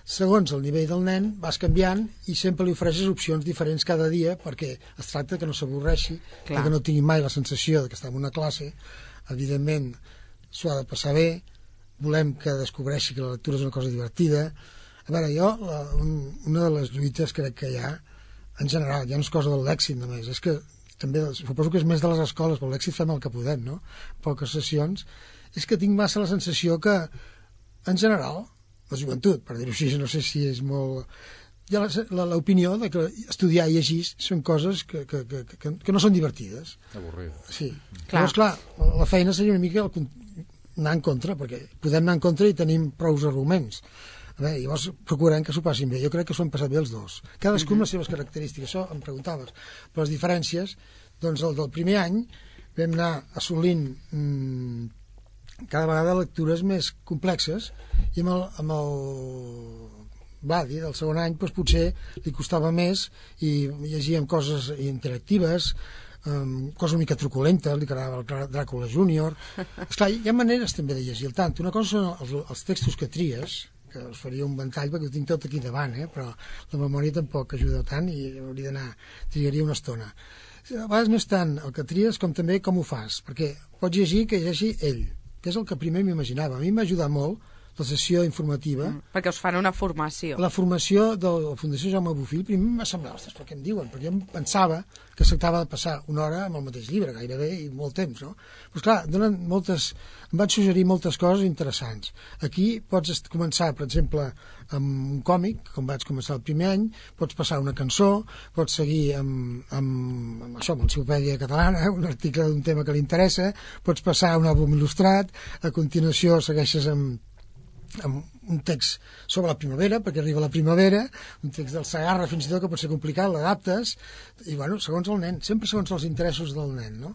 Segons el nivell del nen vas canviant i sempre li ofereixes opcions diferents cada dia perquè es tracta que no s'avorreixi, que no tingui mai la sensació de que està en una classe. Evidentment s'ho ha de passar bé, volem que descobreixi que la lectura és una cosa divertida. A veure, jo la, un, una de les lluites crec que hi ha en general, ja no és cosa del lèxic només, és que també suposo que és més de les escoles, però l'èxit fem el que podem, no? Poques sessions. És que tinc massa la sensació que en general la joventut, per dir-ho així, no sé si és molt... Hi ha l'opinió de que estudiar i llegir són coses que, que, que, que, que no són divertides. Avorrides. Sí. Clar. Llavors, clar, la feina seria una mica el, anar en contra, perquè podem anar en contra i tenim prous arguments. A veure, llavors procurem que s'ho passin bé. Jo crec que s'ho han passat bé els dos. Cadascú amb les seves característiques, això em preguntaves. Però les diferències, doncs el del primer any vam anar assolint... Mmm, cada vegada lectures més complexes i amb el, amb el Vladi del segon any doncs potser li costava més i llegíem coses interactives, um, coses una mica truculentes, li agradava el Dràcula júnior. Esclar, hi ha maneres també de llegir el tant. Una cosa són els, els textos que tries, que us faria un ventall perquè ho tinc tot aquí davant, eh? Però la memòria tampoc ajuda tant i hauria d'anar, trigaria una estona. A vegades no és tant el que tries com també com ho fas, perquè pots llegir que llegeixi ell, que és el que primer m'imaginava. A mi m'ha ajudat molt la sessió informativa. Mm, perquè us fan una formació. La formació de la Fundació Jaume Bofill, primer m'ha semblat, ostres, per què em diuen? Perquè jo pensava que es tractava de passar una hora amb el mateix llibre, gairebé, i molt temps, no? Però, esclar, donen moltes, em van suggerir moltes coses interessants. Aquí pots començar, per exemple, amb un còmic, com vaig començar el primer any, pots passar una cançó, pots seguir amb, amb, amb això, amb l'enciclopèdia catalana, un article d'un tema que li interessa, pots passar un àlbum il·lustrat, a continuació segueixes amb amb un text sobre la primavera, perquè arriba la primavera, un text del Segarra fins i tot que pot ser complicat, l'adaptes, i bueno, segons el nen, sempre segons els interessos del nen, no?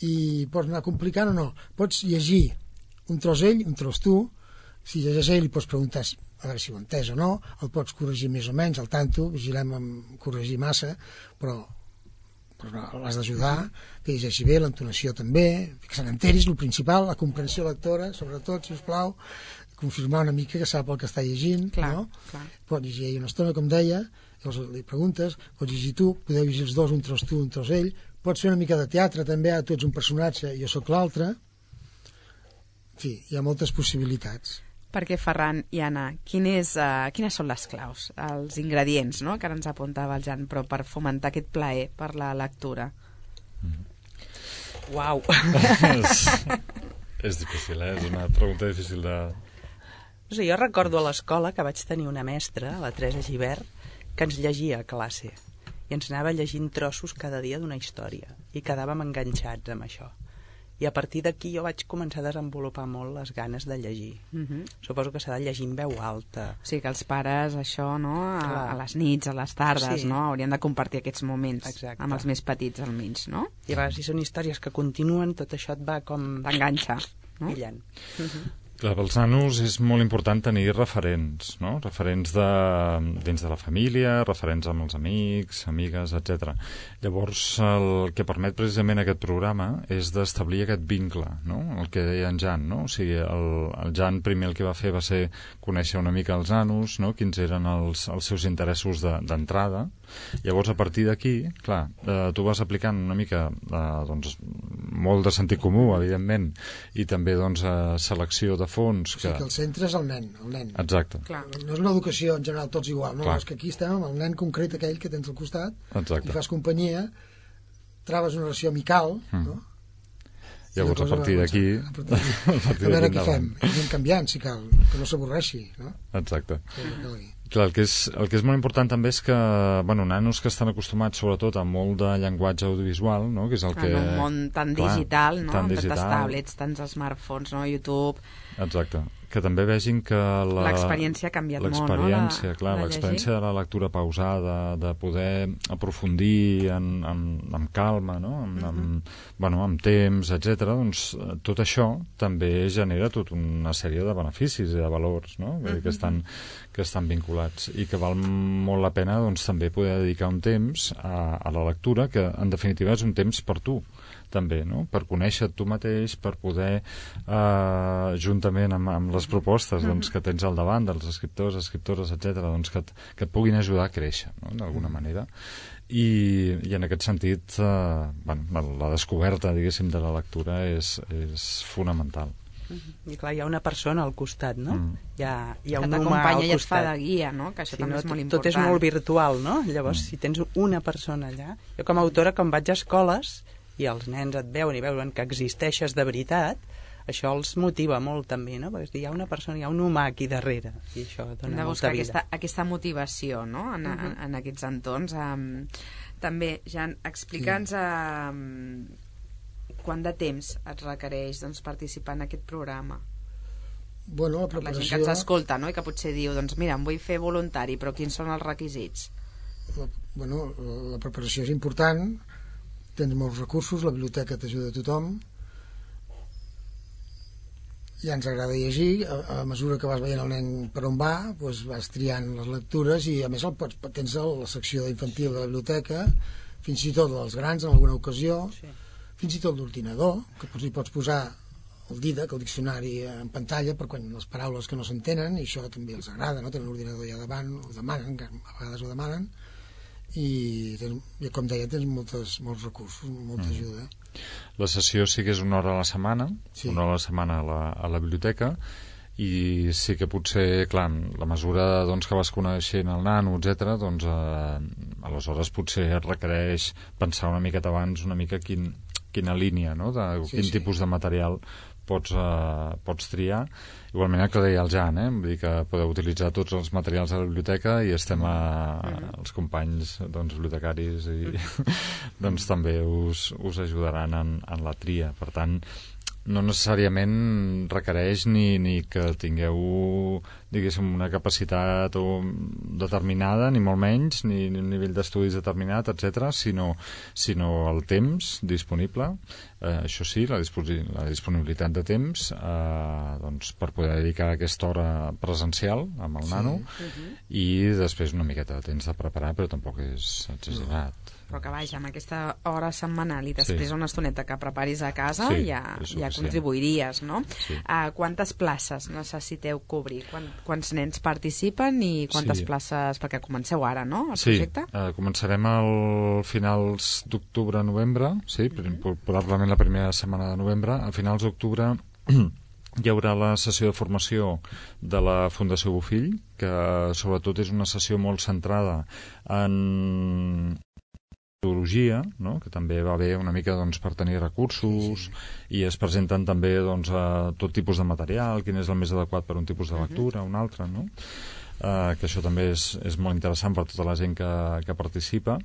I pots anar complicant o no. Pots llegir un tros ell, un tros tu, si llegeix ell li pots preguntar a veure si ho ha entès o no, el pots corregir més o menys, al tanto, vigilem amb corregir massa, però, però no, l'has d'ajudar, que llegeixi bé, l'entonació també, que se n'enteris, el principal, la comprensió lectora, sobretot, si us plau, confirmar una mica que sap el que està llegint, clar, no? Clar. Pot llegir ell una estona, com deia, llavors li preguntes, pots llegir tu, podeu llegir els dos, un tros tu, un tros ell, pots fer una mica de teatre també, tu ets un personatge, jo sóc l'altre, en fi, hi ha moltes possibilitats. Perquè, Ferran i Anna, quin és, uh, quines són les claus, els ingredients, no?, que ara ens apuntava el Jan, però per fomentar aquest plaer per la lectura? Mm. Uau! és, és difícil, eh? És una pregunta difícil de... No sé, jo recordo a l'escola que vaig tenir una mestra, la Teresa Givert, que ens llegia a classe i ens anava llegint trossos cada dia d'una història i quedàvem enganxats amb això. I a partir d'aquí jo vaig començar a desenvolupar molt les ganes de llegir. Uh-huh. Suposo que s'ha de llegir en veu alta. O sigui que els pares, això, no?, a, Clar. a les nits, a les tardes, Sí. no?, haurien de compartir aquests moments. Exacte. Amb els més petits, almenys, no? I a vegades, si són històries que continuen, tot això et va com... T'enganxa, no? pillant. Uh-huh. Clar, pels nanos és molt important tenir referents, no? Referents de, dins de la família, referents amb els amics, amigues, etcètera. Llavors, el que permet precisament aquest programa és d'establir aquest vincle, no? El que deia en Jan, no? O sigui, el, el Jan primer el que va fer va ser conèixer una mica els nanos, no? Quins eren els, els seus interessos d'entrada. De, Llavors, a partir d'aquí, clar, eh, tu vas aplicant una mica, eh, doncs, molt de sentit comú, evidentment, i també, doncs, eh, selecció de fons. Que... O sigui que el centre és el nen, el nen. Exacte. Clar. No és una educació en general tots igual, no? Clar. És que aquí estem amb el nen concret aquell que tens al costat, Exacte. li fas companyia, trabes una relació amical, mm. no? Llavors, a partir d'aquí... A, a veure què fem, i anem canviant, si cal, que no s'avorreixi, no? Exacte. Sí, clar, el que, és, el que és molt important també és que, bueno, nanos que estan acostumats sobretot a molt de llenguatge audiovisual, no?, que és el que... En un món tan clar, digital, no?, tan amb digital. tantes tablets, tants smartphones, no?, YouTube... Exacte. Que també vegin que la... L'experiència ha canviat molt, no? L'experiència, clar, de l'experiència de la lectura pausada, de poder aprofundir en, en, amb calma, no?, amb, uh -huh. amb, bueno, amb temps, etcètera. Doncs tot això també genera tota una sèrie de beneficis i de valors, no?, uh -huh. que, estan, que estan vinculats i que val molt la pena, doncs, també poder dedicar un temps a, a la lectura, que en definitiva és un temps per tu, també, no?, per conèixer tu mateix, per poder, eh, juntament amb, amb les propostes, doncs, que tens al davant dels escriptors, escriptores, etcètera, doncs, que, et, que et puguin ajudar a créixer, no?, d'alguna manera. I, i en aquest sentit, eh, bueno, la descoberta, diguéssim, de la lectura és, és fonamental. I clar, hi ha una persona al costat, no? Mm. Hi ha, hi ha que un humà al t'acompanya i et fa costat. de guia, no?, que això Sí, també no, és molt tot, important. tot és molt virtual, no? Llavors, mm. si tens una persona allà... Jo, com a autora, quan vaig a escoles i els nens et veuen i veuen que existeixes de veritat, això els motiva molt també, no? Perquè hi ha una persona, hi ha un humà aquí darrere i això dona Hem de molta buscar vida. aquesta, aquesta motivació, no?, en, uh -huh. en, en aquests entorns. Um, també, Jan, explica'ns um, quant de temps et requereix, doncs, participar en aquest programa. Bueno, la Per la gent preparació... que ens escolta, no?, i que potser diu, doncs mira, em vull fer voluntari, però quins són els requisits? La, bueno, la preparació és important, tens molts recursos, la biblioteca t'ajuda a tothom, ja ens agrada llegir, a, a mesura que vas veient el nen per on va, doncs vas triant les lectures i a més el pots, tens la secció infantil de la biblioteca, fins i tot dels grans en alguna ocasió, sí. Fins i tot l'ordinador, que pots, hi pots posar el Didac, el diccionari en pantalla per quan les paraules que no s'entenen, i això també els agrada, no? Tenen l'ordinador ja davant, ho demanen, que a vegades ho demanen, i, i com deia, tens moltes, molts recursos, molta mm. ajuda. La sessió sí que és una hora a la setmana, sí. una hora a la setmana a la, a la biblioteca, i sí que potser, clar, la mesura doncs, que vas coneixent el nano, etcètera, doncs eh, aleshores potser et requereix pensar una miqueta abans una mica quin, quina línia, no?, de sí, quin sí. tipus de material pots, eh, pots triar. Igualment el que deia el Jan, eh? Vull dir que podeu utilitzar tots els materials de la biblioteca i estem a, a, els companys doncs, bibliotecaris i doncs també us, us ajudaran en, en la tria. Per tant, no necessàriament requereix ni, ni que tingueu diguéssim, una capacitat o determinada, ni molt menys, ni, ni un nivell d'estudis determinat, etcètera, sinó, sinó el temps disponible, eh, això sí, la, disposi la disponibilitat de temps eh, doncs, per poder dedicar aquesta hora presencial amb el sí. nano uh-huh. i després una miqueta de temps de preparar, però tampoc és exagerat. No. Però que vaja, amb aquesta hora setmanal i després sí. una estoneta que preparis a casa sí, ja, ja contribuiries, no? Sí. Uh, quantes places necessiteu cobrir? Quant, quants nens participen i quantes sí. places, perquè comenceu ara, no, el sí. projecte? Sí, uh, començarem al finals d'octubre-novembre, sí, uh-huh. probablement la primera setmana de novembre. A finals d'octubre hi haurà la sessió de formació de la Fundació Bofill, que sobretot és una sessió molt centrada en metodologia, no? Que també va bé una mica doncs, per tenir recursos sí, sí. i es presenten també doncs, a tot tipus de material, quin és el més adequat per un tipus de lectura, un altre, no? Uh, que això també és, és molt interessant per tota la gent que, que participa.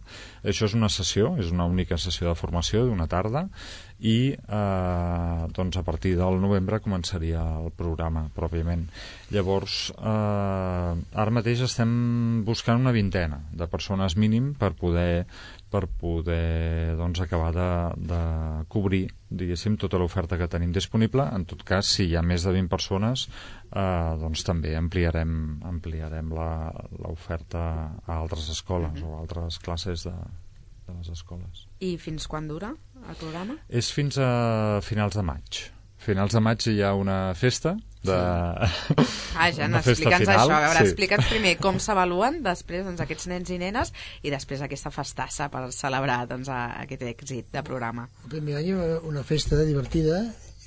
Això és una sessió, és una única sessió de formació d'una tarda i uh, doncs a partir del novembre començaria el programa pròpiament. Llavors uh, ara mateix estem buscant una vintena de persones mínim per poder per poder doncs, acabar de, de cobrir, diguéssim, tota l'oferta que tenim disponible. En tot cas, si hi ha més de vint persones, eh, doncs també ampliarem, ampliarem l'oferta a altres escoles mm-hmm. o a altres classes de, de les escoles. I fins quan dura el programa? És fins a finals de maig. Finals de maig hi ha una festa de... Ah, ja, explica'ns això. A veure, sí. explica'ns primer com s'avaluen després doncs, aquests nens i nenes i després aquesta festassa per celebrar doncs, aquest èxit de programa. El primer any hi va una festa divertida,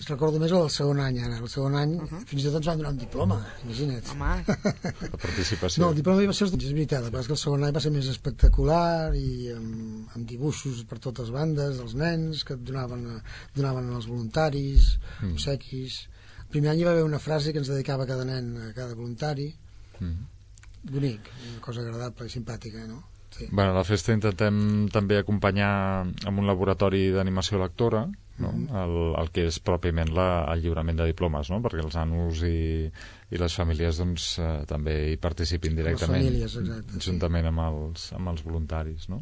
recordo més el segon any ara. El segon any uh -huh. fins i tot ens van donar un diploma, imagina't. Home. La participació. No, el diploma va ser, és veritat, el que el segon any va ser més espectacular i amb, amb dibuixos per totes bandes, dels nens que donaven, donaven als voluntaris, mm. obsequis. El primer any hi va haver una frase que ens dedicava cada nen, a cada voluntari. Mm. Bonic, una cosa agradable i simpàtica, no? Sí. Bueno, a la festa intentem també acompanyar amb un laboratori d'animació lectora, no? Mm. el, el que és pròpiament la, el lliurament de diplomes, no? Perquè els nanos i, i les famílies doncs, eh, també hi participin directament, les famílies, exacte, juntament sí. amb, els, amb els voluntaris, no?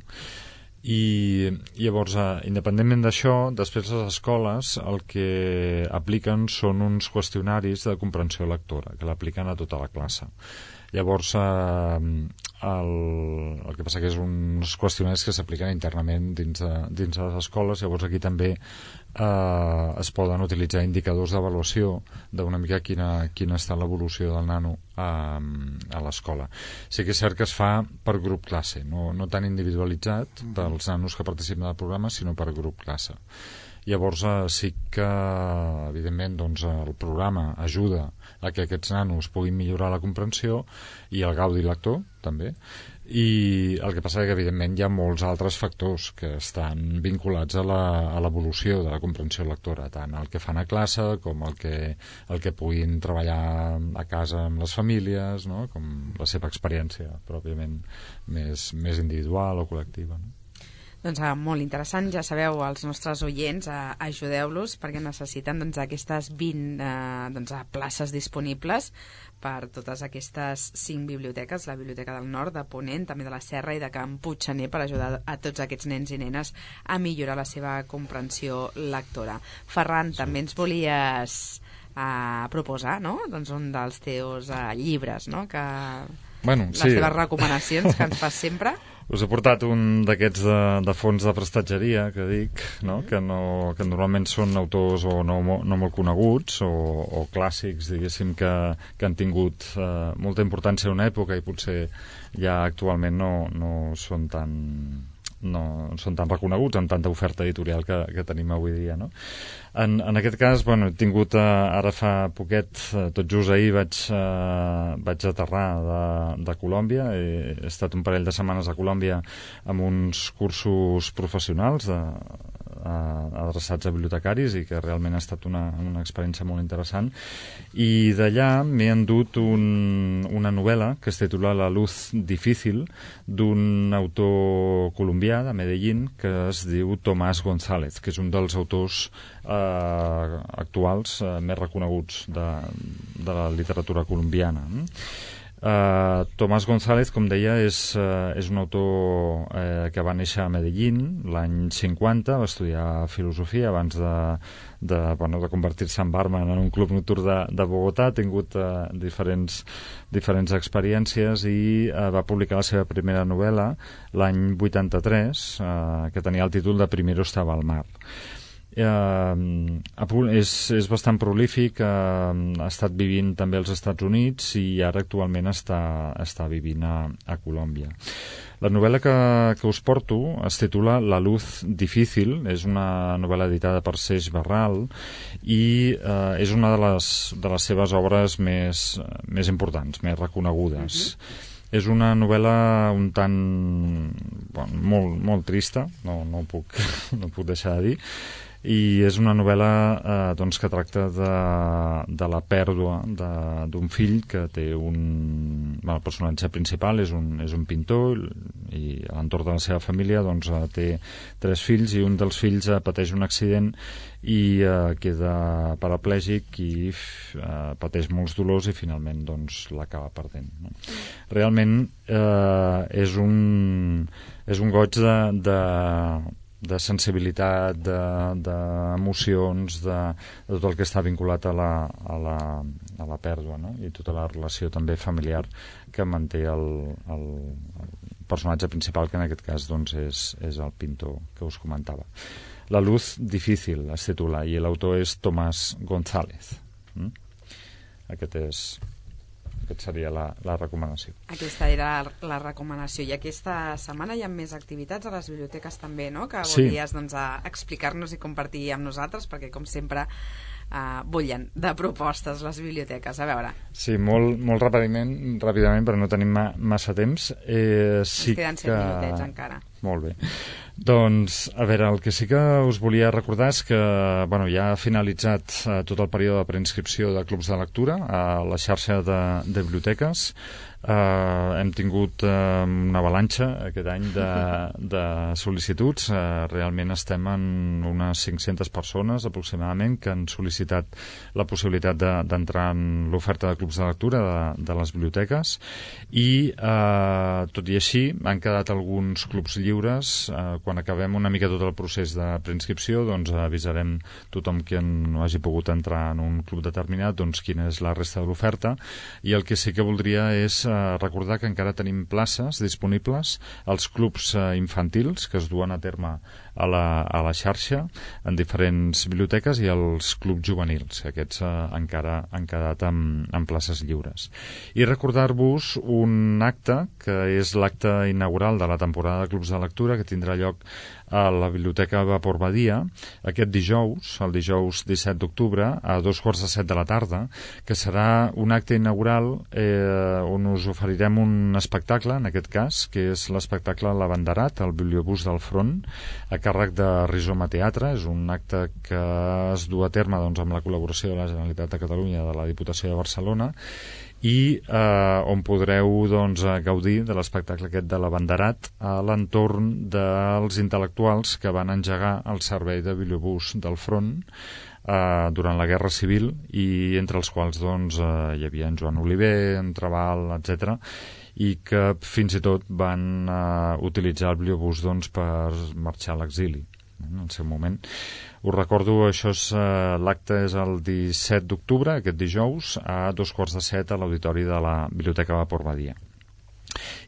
I llavors, eh, independentment d'això, després les escoles el que apliquen són uns qüestionaris de comprensió lectora, que l'apliquen a tota la classe. Llavors, eh, el, el que passa que és uns qüestionaris que s'apliquen internament dins de, dins de les escoles. Llavors aquí també eh, es poden utilitzar indicadors d'avaluació d'una mica quina, quina està l'evolució del nano a, a l'escola. Sí que és cert que es fa per grup classe, no, no tan individualitzat pels nanos que participen del programa, sinó per grup classe. Llavors eh, sí que, evidentment, doncs, el programa ajuda a que aquests nanos puguin millorar la comprensió i el gaudi lector, també. I el que passa és que, evidentment, hi ha molts altres factors que estan vinculats a l'evolució de la comprensió lectora, tant el que fan a classe com el que, el que puguin treballar a casa amb les famílies, no? Com la seva experiència pròpiament més, més individual o col·lectiva, no? Doncs eh, molt interessant, ja sabeu, els nostres oients, eh, ajudeu-los perquè necessiten doncs, aquestes vint eh, doncs, places disponibles per totes aquestes cinc biblioteques, la Biblioteca del Nord, de Ponent, també de la Serra i de Can Puiggener, per ajudar a tots aquests nens i nenes a millorar la seva comprensió lectora. Ferran, sí. també ens volies eh, proposar, no?, doncs un dels teus eh, llibres, no?, que... Bueno, les sí. teves recomanacions que ens fas sempre. Us he portat un d'aquests de, de fons de prestatgeria, que dic, no? Que, no, que normalment són autors o no, no molt coneguts o, o clàssics, diguéssim, que, que han tingut eh, molta importància en una època i potser ja actualment no, no són tan... no són tan reconeguts amb tanta oferta editorial que, que tenim avui dia, no? En, en aquest cas, bueno, he tingut, eh, ara fa poquet, eh, tot just ahir vaig, eh, vaig aterrar de, de Colòmbia, he, he estat un parell de setmanes a Colòmbia amb uns cursos professionals de, uh, adreçats a bibliotecaris i que realment ha estat una, una experiència molt interessant. I d'allà m'he endut un, una novel·la que es titula La luz difícil, d'un autor colombià de Medellín que es diu Tomás González, que és un dels autors eh, actuals eh, més reconeguts de, de la literatura colombiana. Uh, Tomás González, com deia, és, uh, és un autor uh, que va néixer a Medellín l'any cinquanta, va estudiar filosofia abans de, de, bueno, de convertir-se en barman en un club nocturn de, de Bogotà. Ha tingut uh, diferents, diferents experiències i uh, va publicar la seva primera novel·la l'any vuitanta-tres, uh, que tenia el títol de Primero estaba al mar. Uh, és, és bastant prolífic, uh, ha estat vivint també als Estats Units i ara actualment està, està vivint a, a Colòmbia. La novel·la que, que us porto es titula La luz difícil, és una novel·la editada per Seix Barral i uh, és una de les, de les seves obres més, més importants, més reconegudes. Uh-huh. És una novel·la un tant bueno, molt, molt trista, no, no, puc, no puc deixar de dir, i és una novel·la eh, doncs, que tracta de, de la pèrdua d'un fill que té un... Bueno, el personatge principal és un, és un pintor i a l'entorn de la seva família doncs, eh, té tres fills i un dels fills eh, pateix un accident i eh, queda paraplègic i eh, pateix molts dolors i finalment doncs, l'acaba perdent. No? Realment eh, és un, és un goig de... de de sensibilitat, d'emocions, de, de tot el que està vinculat a la, a la, a la pèrdua, no? I tota la relació també familiar que manté el, el, el personatge principal, que en aquest cas doncs, és, és el pintor que us comentava. La luz difícil es titula i l'autor és Tomás González. Mm? Aquest és... Aquesta seria la, la recomanació. Aquesta era la recomanació. I aquesta setmana hi ha més activitats a les biblioteques també, no? Que sí. Voldries doncs, explicar-nos i compartir amb nosaltres, perquè com sempre uh, bullen de propostes les biblioteques. A veure. Sí, molt, molt ràpidament, ràpidament, però no tenim ma, massa temps. Eh, sí Ens queden set que... minutets encara. Molt bé. Doncs, a veure, el que sí que us volia recordar és que bueno, ja ha finalitzat eh, tot el període de preinscripció de clubs de lectura a la xarxa de, de biblioteques. Eh, hem tingut eh, una avalanxa aquest any de, de sol·licituds. Eh, realment estem en unes cinc-centes persones aproximadament que han sol·licitat la possibilitat d'entrar de, en l'oferta de clubs de lectura de, de les biblioteques i eh, tot i així han quedat alguns clubs lliures. Eh, quan acabem una mica tot el procés de preinscripció doncs avisarem tothom que no hagi pogut entrar en un club determinat doncs quina és la resta de l'oferta, i el que sí que voldria és eh, recordar que encara tenim places disponibles als clubs eh, infantils que es duen a terme a la, a la xarxa en diferents biblioteques i als clubs juvenils, que aquests eh, encara han quedat amb, amb places lliures. I recordar-vos un acte que és l'acte inaugural de la temporada de clubs de lectura que tindrà lloc a la Biblioteca Vapor Badia aquest dijous, el dijous disset d'octubre a dos quarts de set de la tarda, que serà un acte inaugural eh, on us oferirem un espectacle, en aquest cas, que és l'espectacle L'Abanderat, el bibliobús del front, a càrrec de Rizoma Teatre. És un acte que es du a terme doncs, amb la col·laboració de la Generalitat de Catalunya, de la Diputació de Barcelona, i eh, on podreu doncs, gaudir de l'espectacle aquest de l'Abanderat a l'entorn dels intel·lectuals que van engegar el servei de bibliobús del front eh, durant la Guerra Civil, i entre els quals doncs, eh, hi havia en Joan Oliver, en Trabal, etcètera, i que fins i tot van eh, utilitzar el bibliobús doncs, per marxar a l'exili en el seu moment. Us recordo, això és eh, l'acte és el disset d'octubre, aquest dijous, a dos quarts de set a l'auditori de la Biblioteca Vapor Badia.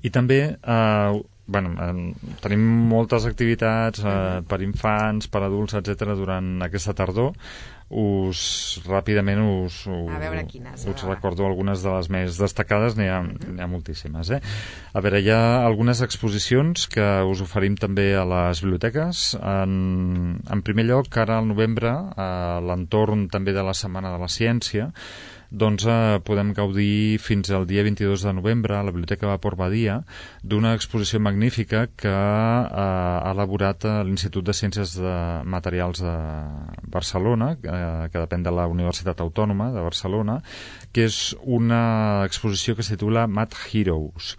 I també eh, bueno, eh, tenim moltes activitats eh, per infants, per adults, etcètera durant aquesta tardor. Us ràpidament us, us, a veure quines, us recordo algunes de les més destacades, n'hi ha, n'hi ha moltíssimes. Eh? A veure, hi ha algunes exposicions que us oferim també a les biblioteques. En, en primer lloc, ara al novembre, a l'entorn també de la Setmana de la Ciència, doncs eh, podem gaudir fins al dia vint-i-dos de novembre a la Biblioteca Vapor Badia d'una exposició magnífica que eh, ha elaborat l'Institut de Ciències de Materials de Barcelona, eh, que depèn de la Universitat Autònoma de Barcelona, que és una exposició que es titula Math Heroes.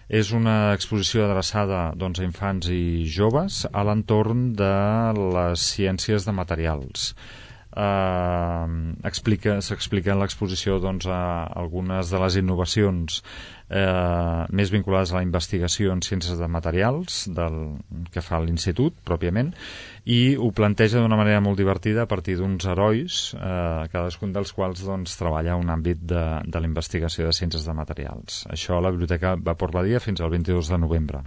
És una exposició adreçada doncs, a infants i joves a l'entorn de les ciències de materials. Uh, explica, s'explica en l'exposició doncs, a algunes de les innovacions eh, més vinculades a la investigació en ciències de materials del, que fa l'Institut pròpiament, i ho planteja d'una manera molt divertida a partir d'uns herois, eh, cadascun dels quals doncs, treballa un àmbit de, de la investigació de ciències de materials. Això a la Biblioteca Vapor Badia fins al vint-i-dos de novembre.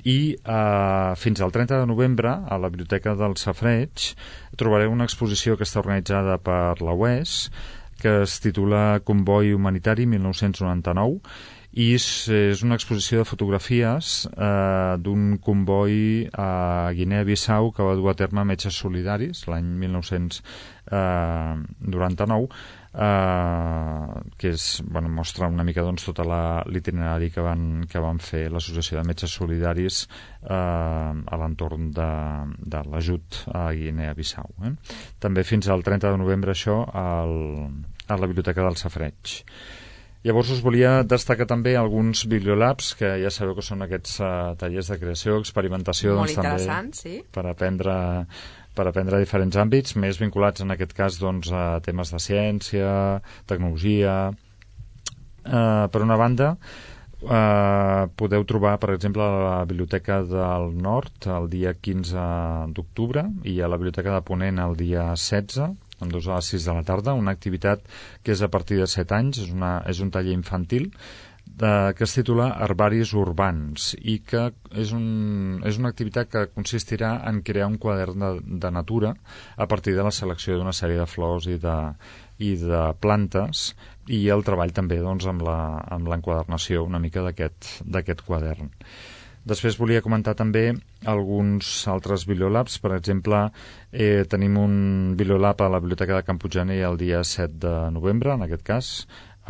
I eh, fins al trenta de novembre a la Biblioteca del Safareig trobareu una exposició que està organitzada per la U E S, que es titula Comboi Humanitari mil nou-cents noranta-nou, i és, és una exposició de fotografies eh, d'un comboi a Guinea-Bissau que va dur a terme Metges Solidaris l'any mil nou-cents noranta-nou, Uh, que és, bueno, mostra una mica doncs, tot l'itinerari que van, que van fer l'Associació de Metges Solidaris uh, a l'entorn de, de l'ajut a Guinea-Bissau. Eh? També fins al trenta de novembre això al, a la Biblioteca del Safareig. Llavors us volia destacar també alguns bibliolabs, que ja sabeu que són aquests uh, tallers de creació, experimentació, molt doncs, interessant, també, sí, per aprendre per aprendre diferents àmbits, més vinculats en aquest cas doncs, a temes de ciència, tecnologia. Eh, per una banda, eh, podeu trobar, per exemple, a la Biblioteca del Nord el dia quinze d'octubre i a la Biblioteca de Ponent el dia setze, ambdós a les sis de la tarda, una activitat que és a partir de set anys, és, una, és un taller infantil, de, que es titula Herbaris Urbans i que és, un, és una activitat que consistirà en crear un quadern de, de natura a partir de la selecció d'una sèrie de flors i de, i de plantes i el treball també doncs, amb l'enquadernació una mica d'aquest quadern. Després volia comentar també alguns altres bibliolabs. Per exemple, eh, tenim un bibliolab a la Biblioteca de Can Puiggener el dia set de novembre, en aquest cas,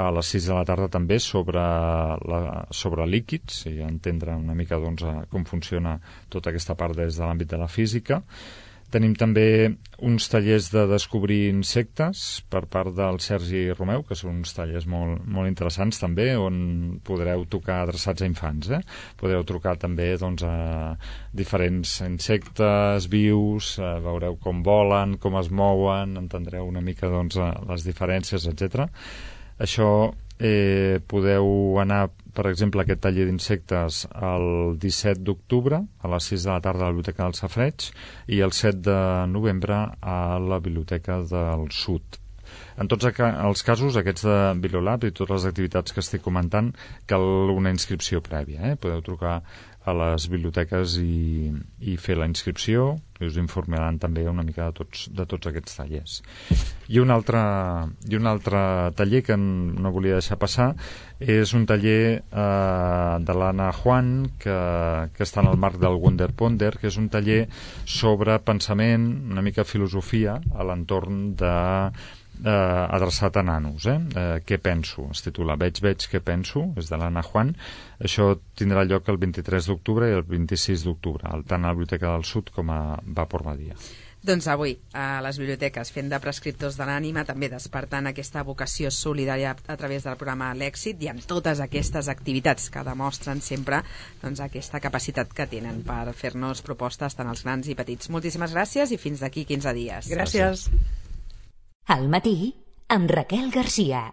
a les sis de la tarda també, sobre, la, sobre líquids, i entendre una mica doncs, com funciona tota aquesta part des de l'àmbit de la física. Tenim també uns tallers de descobrir insectes per part del Sergi Romeu, que són uns tallers molt, molt interessants també, on podreu tocar adreçats a infants. Eh? Podreu trucar també doncs, a diferents insectes vius, eh, veureu com volen, com es mouen, entendreu una mica doncs, les diferències, etcètera. Això eh, podeu anar, per exemple, a aquest taller d'insectes el disset d'octubre a les sis de la tarda a la Biblioteca del Safareig i el set de novembre a la Biblioteca del Sud. En tots els casos, aquests de Bibliolab i totes les activitats que estic comentant, cal una inscripció prèvia. Eh? Podeu trucar a les biblioteques i, i fer la inscripció, i us informaran també una mica de tots, de tots aquests tallers. I un, altre, I un altre taller que no volia deixar passar és un taller eh, de l'Anna Juan, que, que està en el marc del Wonder Ponder, que és un taller sobre pensament, una mica filosofia, a l'entorn de Eh, adreçat a nanos. Eh? Eh, què penso? Es titula Veig, veig, què penso? És de l'Anna Juan. Això tindrà lloc el vint-i-tres d'octubre i el vint-i-sis d'octubre, tant a la Biblioteca del Sud com a Vapor Badia. Doncs avui, a les biblioteques, fent de prescriptors de l'ànima, també despertant aquesta vocació solidària a través del programa L'Èxit i amb totes aquestes activitats que demostren sempre doncs, aquesta capacitat que tenen per fer-nos propostes tant als grans i petits. Moltíssimes gràcies i fins d'aquí quinze dies. Gràcies. Al matí, amb Raquel Garcia.